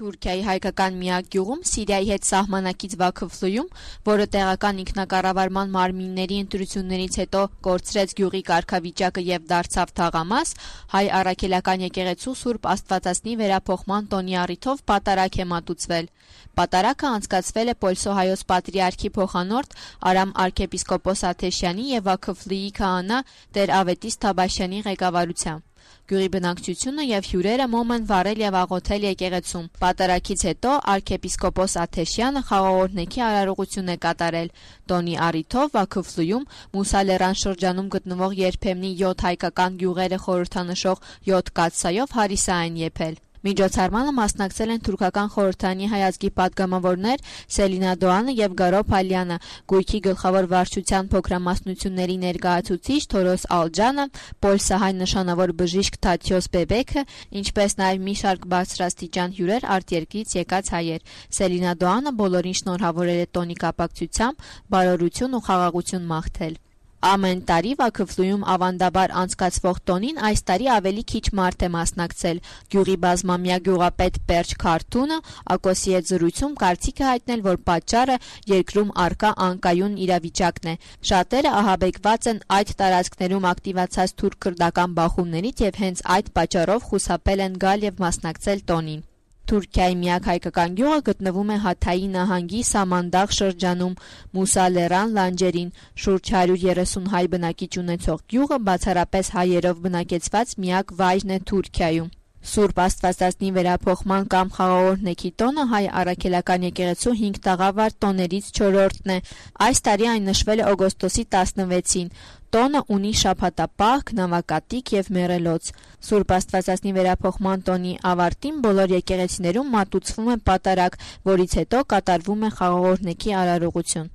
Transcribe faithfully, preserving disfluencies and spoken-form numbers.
Թուրքիայի հայկական միակ գյուղում Սիրիայի հետ սահմանակից Վաքıflıyում, որը տեղական ինքնակառավարման մարմինների ընտրություններից հետո կորցրեց գյուղի կարգավիճակը եւ դարձավ թաղամաս, հայ առաքելական եկեղեցու Սուրբ Աստվածածնի վերափոխման տոնի առիթով պատարագ է մատուցվել։ Պատարագը անցկացվել է Պոլսո հայոց պատրիարքի փոխանորդ Արամ arczepiskopos Աթեշյանի եւ Վաքıflıyի քահանա Տեր Ավետիս Թաբաշյանի ղեկավարությամբ։ Գյուղի բնակչությունը եւ հյուրերը մոմ են վառել եւ աղոթել եկեղեցում։ Պատարագից հետո arczepiskopos Աթեշյանը խաղաղօրհնեքի արարողություն է կատարել։ Տոնի առիթով Վաքıflıyում Մուսալերան շրջանում գտնվող երբեմնի յոթ հայկական գյուղերը խորհրդանշող յոթ կաթսայով հարիսա են եփել։ Միջոցառմանը մասնակցել են թուրքական խորհրդանի հայազգի падգամավորներ Սելինա Դոանը եւ Գարո Փալյանը, գույքի գլխավոր վարչության փոքրամասնությունների ներկայացուցիչ Թորոս Ալջանը, Պոլսահայ նշանավոր բժիշկ Թաթյոս Բեբեքը, ինչպես նաեւ մի շարք բարձրաստիճան հյուրեր արտերկրից եկած հայեր։ Սելինա Դոանը բոլորին շնորհավորել է տոնի կապակցությամբ, բարօրություն ու խաղաղություն մաղթել։ Ամեն տարի Վաքıflıyում ավանդաբար անցկացվող տոնին այս տարի ավելի քիչ մարդ է մասնակցել։ Գյուղի բազմամյա գյուղապետ Պերճ Քարթունը Ակոսի հետ զրույցում կարծիք է հայտնել, որ պատճառը երկրում առկա անկայուն իրավիճակն է։ Շատերը ահաբեկված են այդ տարածքներում ակտիվացած թուրք-քրդական բախումներից եւ հենց այդ պատճառով խուսափել են գալ եւ մասնակցել տոնին։ Թուրքիայի միակ հայկական գյուղը գտնվում է Հաթայի նահանգի Սամանդաղ շրջանում Մուսալերան լանջերին, շուրջ հարյուր երեսուն հայ բնակիչ ունեցող գյուղը բացառապես հայերով բնակեցված միակ վայրն է Թուրքիայում։ Սուրբ Աստվածածնի վերափոխման կամ խաղաղօրհնեքի տոնը հայ առաքելական եկեղեցու հինգ տաղավար տոներից չորրորդն է։ Այս տարի այն նշվել է օգոստոսի տասնվեցին։ Տոնը ունի շաբաթապահ, նավակատիկ եւ մեռելոց։ Սուրբ Աստվածածնի վերափոխման տոնի ավարտին բոլոր եկեղեցիներում մատուցվում է պատարագ, որից հետո կատարվում է խաղաղօրհնեքի արարողություն։